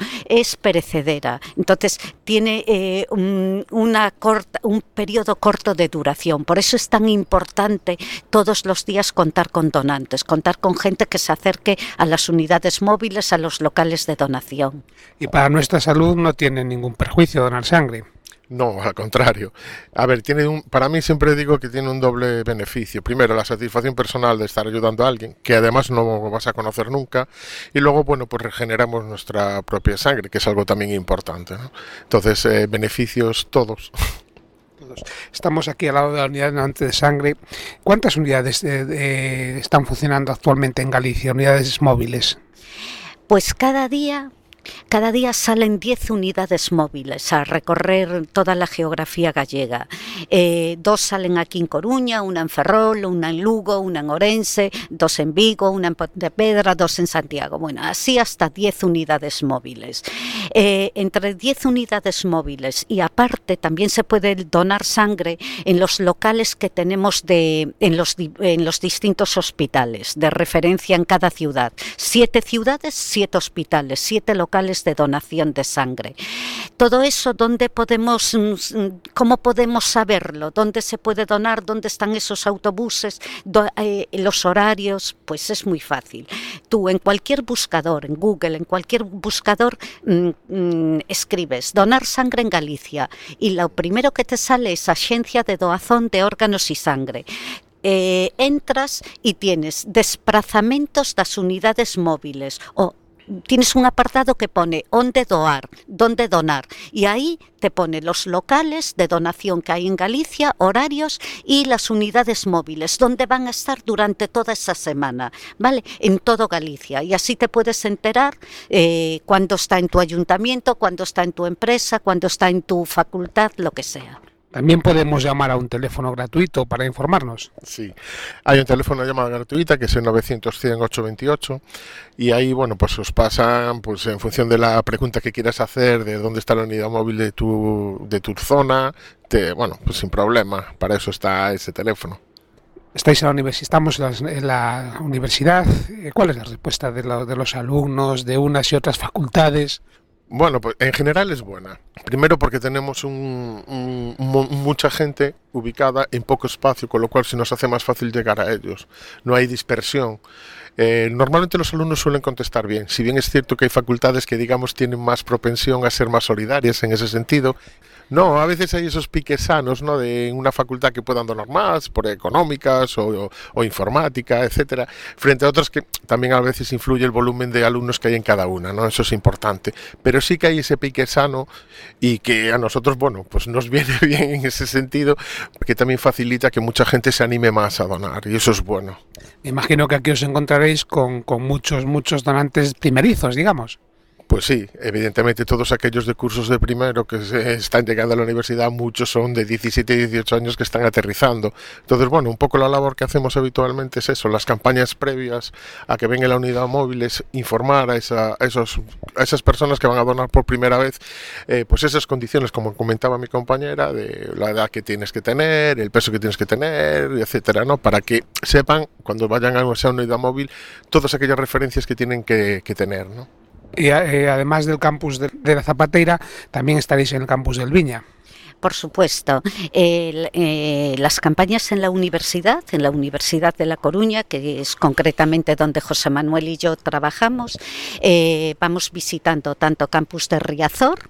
perecedera. Entonces tiene un periodo corto de duración. Por eso es tan importante todos los días contar con donantes, contar con gente que se acerque a las unidades móviles, a los locales de donación. Y para nuestra salud no tiene ningún perjuicio donar sangre. No, al contrario. A ver, para mí siempre digo que tiene un doble beneficio. Primero, la satisfacción personal de estar ayudando a alguien, que además no vas a conocer nunca. Y luego, bueno, pues regeneramos nuestra propia sangre, que es algo también importante, ¿no? Entonces, beneficios todos. Estamos aquí al lado de la unidad de donante de sangre. ¿Cuántas unidades están funcionando actualmente en Galicia, unidades móviles? Pues cada día salen 10 unidades móviles a recorrer toda la geografía gallega. 2 salen aquí en Coruña, una en Ferrol, una en Lugo, una en Orense, 2 en Vigo, una en Pontevedra, 2 en Santiago. Bueno, así hasta 10 unidades móviles. Entre 10 unidades móviles y aparte también se puede donar sangre en los locales que tenemos en los distintos hospitales de referencia en cada ciudad. 7 ciudades, 7 hospitales, 7 locales de donación de sangre. Todo eso, ¿cómo podemos saberlo? ¿Dónde se puede donar? ¿Dónde están esos autobuses? Los horarios, pues es muy fácil. Tú en cualquier buscador, en Google, en cualquier buscador, escribes donar sangre en Galicia y lo primero que te sale es Axencia de Doazón de Órganos y Sangre. Entras y tienes desplazamentos das unidades móviles o tienes un apartado que pone onde donar y ahí te pone los locales de donación que hay en Galicia, horarios y las unidades móviles donde van a estar durante toda esa semana, ¿vale? En todo Galicia, y así te puedes enterar cuándo está en tu ayuntamiento, cuándo está en tu empresa, cuándo está en tu facultad, lo que sea. También podemos llamar a un teléfono gratuito para informarnos. Sí, hay un teléfono de llamada gratuita que es el 900-100-828 y ahí, bueno, pues os pasan, pues en función de la pregunta que quieras hacer, de dónde está la unidad móvil de tu zona, bueno, pues sin problema, para eso está ese teléfono. Estamos en la universidad. ¿Cuál es la respuesta de los alumnos de unas y otras facultades? Bueno, pues en general es buena. Primero porque tenemos mucha gente ubicada en poco espacio, con lo cual se nos hace más fácil llegar a ellos. No hay dispersión. Normalmente los alumnos suelen contestar bien. Si bien es cierto que hay facultades que, digamos, tienen más propensión a ser más solidarias en ese sentido, No, a veces hay esos piques sanos, ¿no? De una facultad que puedan donar más, por económicas o informática, etcétera, frente a otras que también a veces influye el volumen de alumnos que hay en cada una, ¿no? Eso es importante. Pero sí que hay ese pique sano y que a nosotros, bueno, pues nos viene bien en ese sentido, porque también facilita que mucha gente se anime más a donar, y eso es bueno. Me imagino que aquí os encontraréis con muchos donantes primerizos, digamos. Pues sí, evidentemente todos aquellos de cursos de primero que están llegando a la universidad, muchos son de 17 y 18 años que están aterrizando. Entonces, bueno, un poco la labor que hacemos habitualmente es eso, las campañas previas a que venga la unidad móvil, es informar a esas personas que van a donar por primera vez, pues esas condiciones, como comentaba mi compañera, de la edad que tienes que tener, el peso que tienes que tener, etcétera, ¿no? Para que sepan, cuando vayan a esa unidad móvil, todas aquellas referencias que tienen que tener, ¿no? Y además del campus de la Zapateira, también estaréis en el campus del Viña. Por supuesto, las campañas en la Universidad de La Coruña, que es concretamente donde José Manuel y yo trabajamos, vamos visitando tanto campus de Riazor,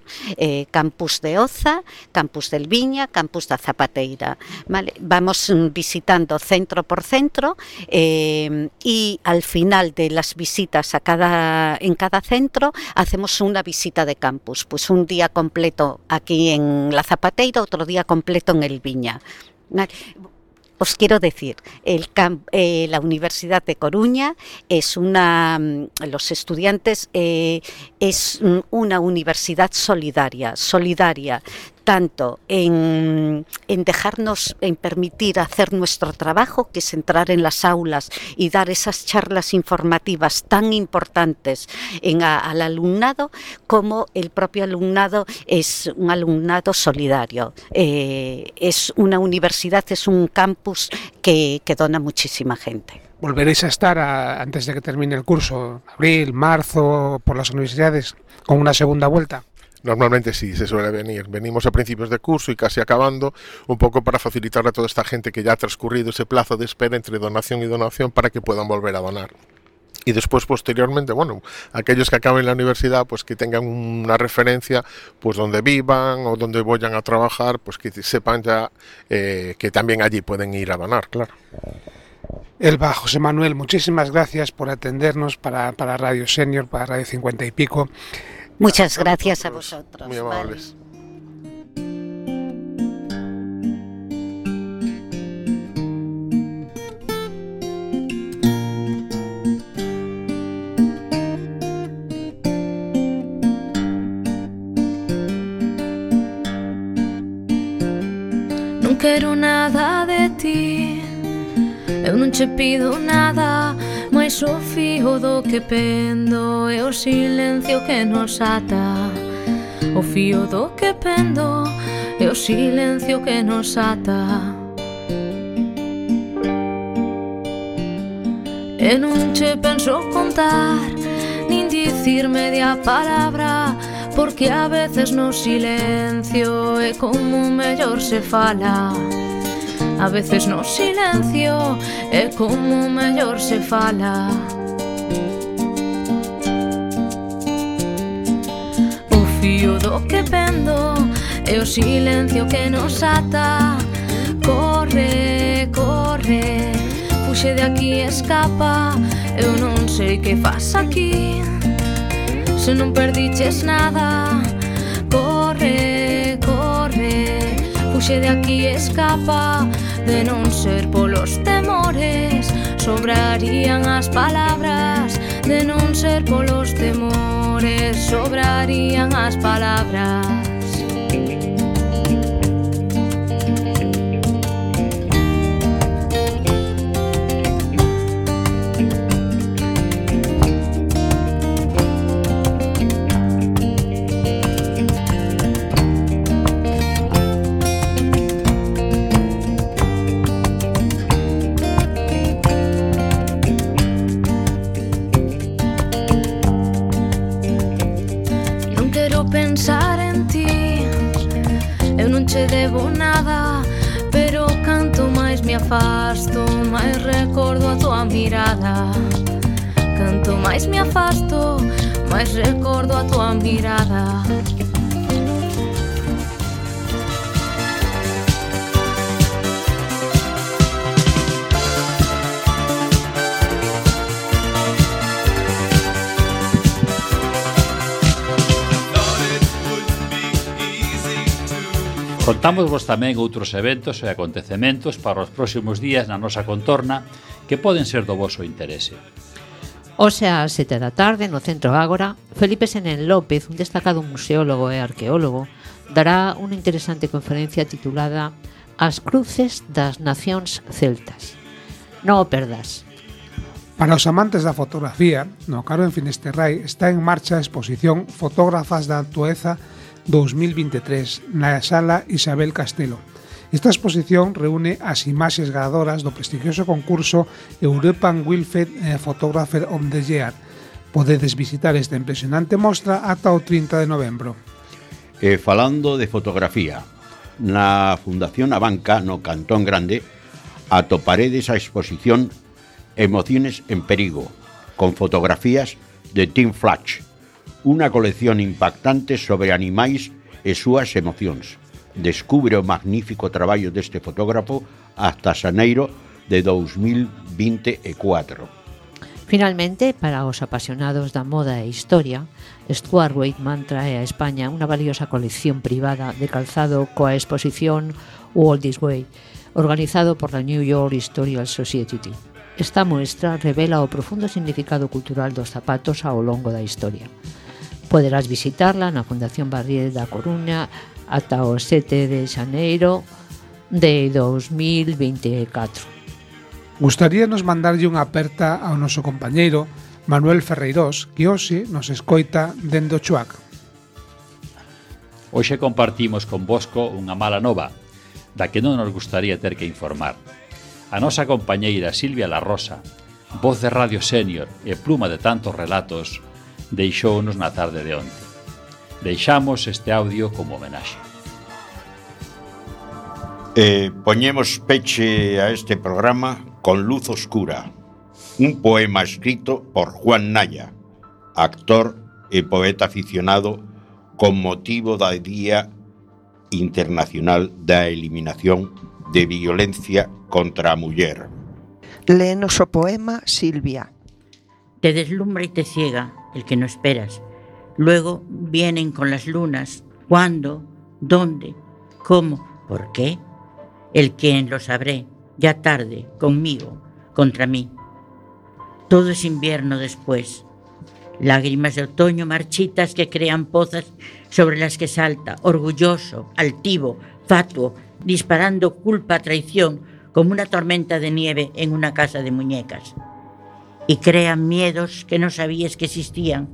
campus de Oza, campus del Viña, campus de Zapateira, ¿vale? Vamos visitando centro por centro y al final de las visitas en cada centro hacemos una visita de campus, pues un día completo aquí en la Zapateira, otro día completo en el Viña. Os quiero decir, la Universidad de Coruña es los estudiantes es una universidad solidaria tanto en dejarnos, en permitir hacer nuestro trabajo, que es entrar en las aulas y dar esas charlas informativas tan importantes al alumnado, como el propio alumnado es un alumnado solidario. Es una universidad, es un campus que dona muchísima gente. ¿Volveréis a estar antes de que termine el curso, abril, marzo, por las universidades, con una segunda vuelta? Normalmente sí, se suele venir. Venimos a principios de curso y casi acabando, un poco para facilitar a toda esta gente que ya ha transcurrido ese plazo de espera entre donación y donación para que puedan volver a donar. Y después, posteriormente, bueno, aquellos que acaben la universidad, pues que tengan una referencia, pues donde vivan o donde vayan a trabajar, pues que sepan ya que también allí pueden ir a donar, claro. Elba, José Manuel, muchísimas gracias por atendernos para Radio Senior, para Radio 50 y pico. Muchas gracias a vosotros. Muy amables. Non quero nada de ti, eu non che pido nada, mais o fío do que pendo é o silencio que nos ata. O fío do que pendo é o silencio que nos ata. E non che penso contar, nin dicir media palabra, porque a veces no silencio é como mellor se fala. A veces no silencio é como mellor se fala. O fío do que pendo é o silencio que nos ata. Corre, corre, fuxe de aquí, escapa. Eu non sei que faz aquí, se non perdiches nada. Corre, corre, fuxe de aquí, escapa. De non ser polos temores, sobrarían as palabras. De non ser polos temores, sobrarían as palabras. Pensar en ti, eu non che debo nada, pero canto máis me afasto, máis recordo a tua mirada. Canto máis me afasto, máis recordo a tua mirada. Contámosvos tamén outros eventos e acontecementos para os próximos días na nosa contorna que poden ser do voso interese. Hoxe ás 7 da tarde, no Centro Ágora, Felipe Senén López, un destacado museólogo e arqueólogo, dará unha interesante conferencia titulada As cruces das nacións celtas. Non o perdas. Para os amantes da fotografía, no Caro en Finisterrai está en marcha a exposición Fotógrafas da Actueza 2023 na Sala Isabel Castelo. Esta exposición reúne as imaxes ganadoras do prestigioso concurso European Wilfed Photographer of the Year. Podedes visitar esta impresionante mostra ata o 30 de novembro. E falando de fotografía, na Fundación Abanca, no Cantón Grande, atoparedes a exposición Emociones en Perigo, con fotografías de Tim Flatch, unha colección impactante sobre animais e súas emocións. Descubre o magnífico traballo deste fotógrafo hasta xaneiro de 2024. Finalmente, para os apasionados da moda e historia, Stuart Weitzman trae a España unha valiosa colección privada de calzado coa exposición All This Way, organizado por la New York Historical Society. Esta muestra revela o profundo significado cultural dos zapatos ao longo da historia. Poderás visitarla na Fundación Barrié da Coruña ata o 7 de xaneiro de 2024. Gustaríanos mandarlle unha aperta ao noso compañeiro Manuel Ferreirós, que hoxe nos escoita dende o Chuac. Hoxe compartimos con Bosco unha mala nova, da que non nos gustaría ter que informar. A nosa compañeira Silvia La Rosa, voz de Radio Senior e pluma de tantos relatos, deixounos na tarde de onte. Deixamos este audio como homenaxe. Poñemos peche a este programa con Luz Oscura, un poema escrito por Juan Naya, actor e poeta aficionado con motivo da Día Internacional da Eliminación de Violencia contra a Muller. Léenos o poema, Silvia. Te deslumbra y te ciega el que no esperas. Luego vienen con las lunas. ¿Cuándo? ¿Dónde? ¿Cómo? ¿Por qué? El quién lo sabré, ya tarde, conmigo, contra mí. Todo es invierno después. Lágrimas de otoño marchitas que crean pozas sobre las que salta, orgulloso, altivo, fatuo, disparando culpa a traición como una tormenta de nieve en una casa de muñecas. Y crean miedos que no sabías que existían,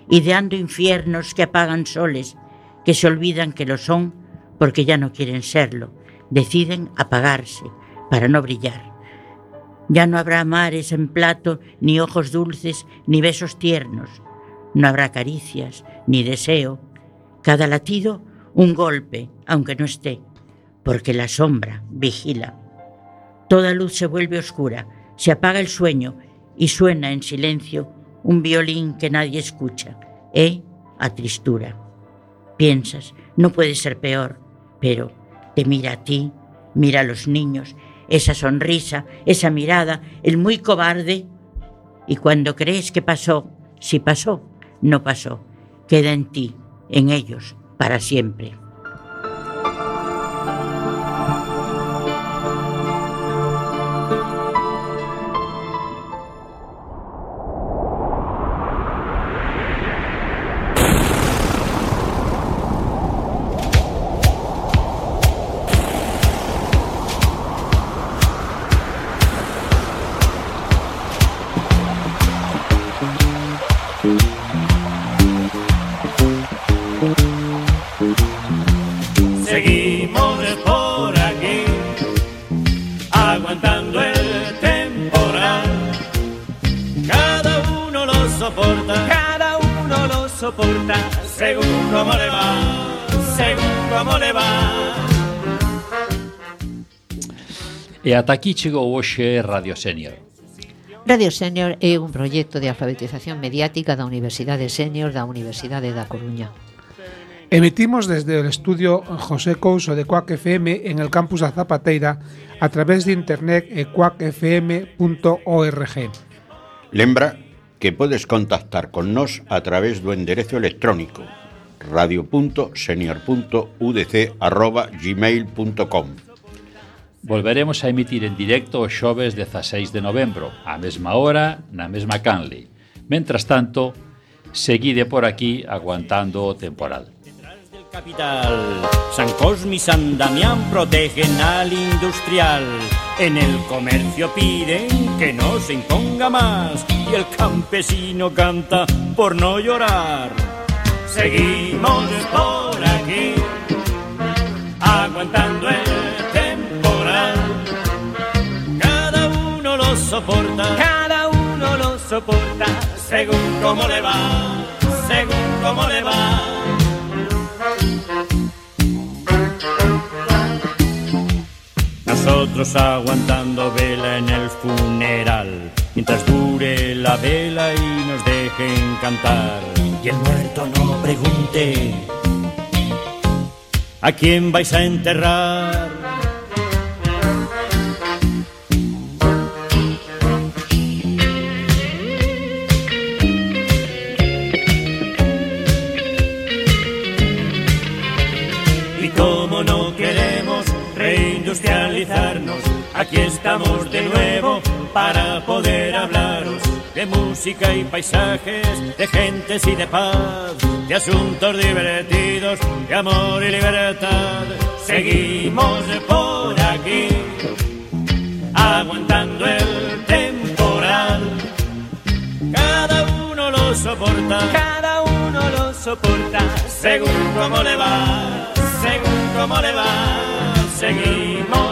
ideando infiernos que apagan soles, que se olvidan que lo son porque ya no quieren serlo, deciden apagarse para no brillar. Ya no habrá mares en plato, ni ojos dulces, ni besos tiernos. No habrá caricias, ni deseo. Cada latido, un golpe, aunque no esté, porque la sombra vigila. Toda luz se vuelve oscura, se apaga el sueño y suena en silencio un violín que nadie escucha, a tristura. Piensas, no puede ser peor, pero te mira a ti, mira a los niños, esa sonrisa, esa mirada, el muy cobarde, y cuando crees que pasó, si pasó, no pasó, queda en ti, en ellos, para siempre. Seguimos por aquí, aguantando el temporal. Cada uno lo soporta, según cómo le va, según cómo le va. E ata aquí chegou hoxe Radio Senior. Radio Senior é un proxecto de alfabetización mediática da Universidade Senior da Universidade da Coruña. Emitimos desde el estudio José Couso de Cuac FM en el campus da Zapateira a través de internet e cuacfm.org. Lembra que podes contactar con nós a través do enderezo electrónico radio.senior.udc@gmail.com. Volveremos a emitir en directo o xoves 16 de novembro, á mesma hora, na mesma canle. Mentras tanto, seguide por aquí aguantando o temporal. Capital, San Cosme y San Damián protegen al industrial. En el comercio piden que no se imponga más y el campesino canta por no llorar. Seguimos por aquí, aguantando el temporal. Cada uno lo soporta, según cómo le va, según cómo le va. Nosotros aguantando vela en el funeral, mientras dure la vela y nos dejen cantar. Y el muerto no pregunte ¿a quién vais a enterrar? Y como no queremos reindustrializarnos, aquí estamos de nuevo para poder hablaros de música y paisajes, de gentes y de paz, de asuntos divertidos, de amor y libertad. Seguimos por aquí, aguantando el temporal. Cada uno lo soporta, según cómo le va, según cómo le va. Seguimos